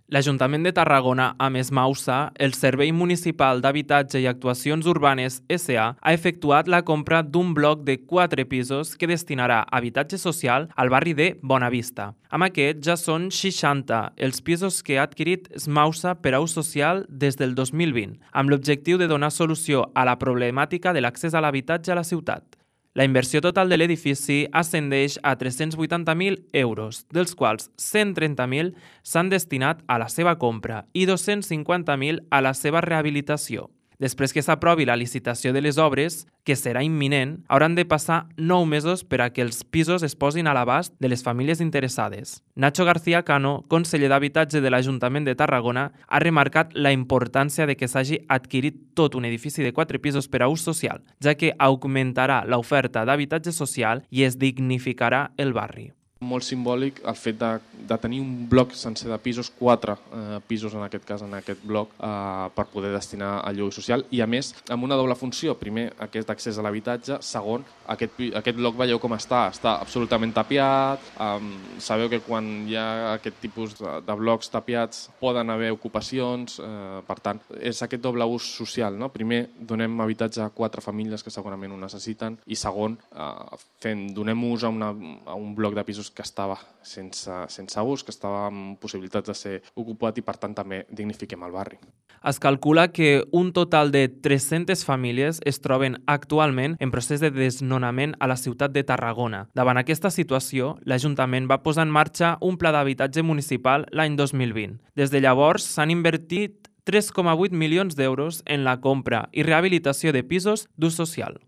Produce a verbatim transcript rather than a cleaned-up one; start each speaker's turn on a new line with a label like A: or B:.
A: L'Ajuntament de Tarragona, amb Esmausa, el Servei Municipal d'Habitatge i Actuacions Urbanes S A, ha efectuat la compra d'un bloc de quatre pisos que destinarà a habitatge social al barri de Bonavista. Amb aquest ja són seixanta els pisos que ha adquirit Esmausa per a ús social des del dos mil vint, amb l'objectiu de donar solució a la problemàtica de l'accés a l'habitatge a la ciutat. La inversió total de l'edifici ascendeix a tres-cents vuitanta mil euros, dels quals cent trenta mil s'han destinat a la seva compra i dos-cents cinquanta mil a la seva rehabilitació. Després que s'aprovi la licitació de les obres, que serà imminent, hauran de passar nou mesos per a que els pisos es posin a l'abast de les famílies interessades. Nacho García Cano, conseller d'Habitatge de l'Ajuntament de Tarragona, ha remarcat la importància de que s'hagi adquirit tot un edifici de quatre pisos per a ús social, ja que augmentarà l'oferta d'habitatge social i es dignificarà el barri.
B: Molt simbòlic el fet de, de tenir un bloc sencer de pisos, quatre eh, pisos en aquest cas, en aquest bloc, eh, per poder destinar al lloguer social i a més amb una doble funció. Primer, aquest accés a l'habitatge. Segon, aquest, aquest bloc veieu com està, està absolutament tapiat. Eh, sabeu que quan hi ha aquest tipus de, de blocs tapiats poden haver ocupacions, eh, per tant, és aquest doble ús social, no? Primer, donem habitatge a quatre famílies que segurament ho necessiten i segon, eh, fem, donem ús a, una, a un bloc de pisos que estava sense, sense ús, que estava amb possibilitats de ser ocupat i per tant també dignifiquem el barri.
A: Es calcula que un total de tres-centes famílies es troben actualment en procés de desnonament a la ciutat de Tarragona. Davant aquesta situació, l'Ajuntament va posar en marxa un pla d'habitatge municipal l'any dos mil vint. Des de llavors s'han invertit tres coma vuit milions d'euros en la compra i rehabilitació de pisos d'ús social.